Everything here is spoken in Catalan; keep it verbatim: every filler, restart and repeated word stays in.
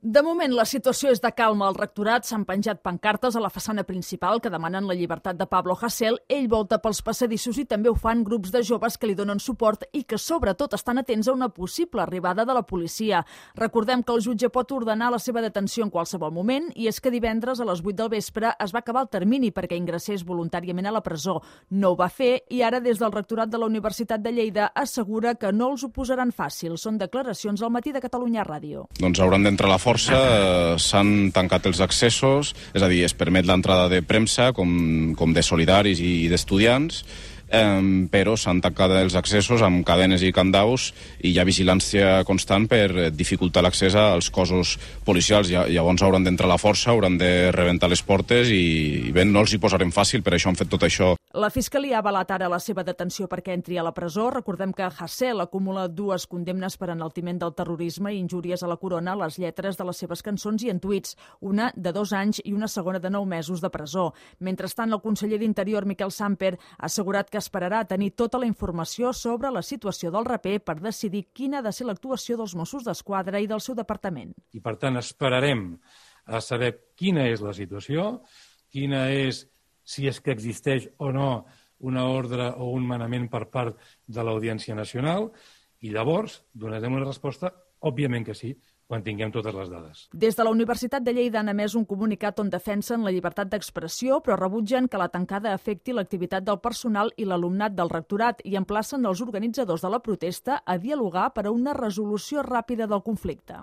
De moment, la situació és de calma al rectorat. S'han penjat pancartes a la façana principal que demanen la llibertat de Pablo Hasél. Ell volta pels passadissos i també ho fan grups de joves que li donen suport i que sobretot estan atents a una possible arribada de la policia. Recordem que el jutge pot ordenar la seva detenció en qualsevol moment i és que divendres a les vuit del vespre es va acabar el termini perquè ingressés voluntàriament a la presó. No ho va fer i ara des del rectorat de la Universitat de Lleida assegura que no els ho posaran fàcil. Són declaracions al Matí de Catalunya Ràdio. Doncs hauran d'entrar a la força. S'han tancat els accessos, és a dir, es permet l'entrada de premsa com, com de solidaris i d'estudiants, eh, però s'han tancat els accessos amb cadenes i candaus i hi ha vigilància constant per dificultar l'accés als cossos policials. Llavors hauran d'entrar a la força, hauran de rebentar les portes i, i bé, no els hi posarem fàcil, per això han fet tot això. La Fiscalia ha avalat ara la seva detenció perquè entri a la presó. Recordem que Hasél acumula dues condemnes per enaltiment del terrorisme i injúries a la corona a les lletres de les seves cançons i en tuits, una de dos anys i una segona de nou mesos de presó. Mentrestant, el conseller d'Interior, Miquel Samper, ha assegurat que esperarà tenir tota la informació sobre la situació del raper per decidir quina ha de ser l'actuació dels Mossos d'Esquadra i del seu departament. I, per tant, esperarem a saber quina és la situació, quina és si és que existeix o no una ordre o un manament per part de l'Audiència Nacional, i llavors donarem una resposta, òbviament que sí, quan tinguem totes les dades. Des de la Universitat de Lleida han emès un comunicat on defensen la llibertat d'expressió, però rebutgen que la tancada afecti l'activitat del personal i l'alumnat del rectorat i emplacen els organitzadors de la protesta a dialogar per a una resolució ràpida del conflicte.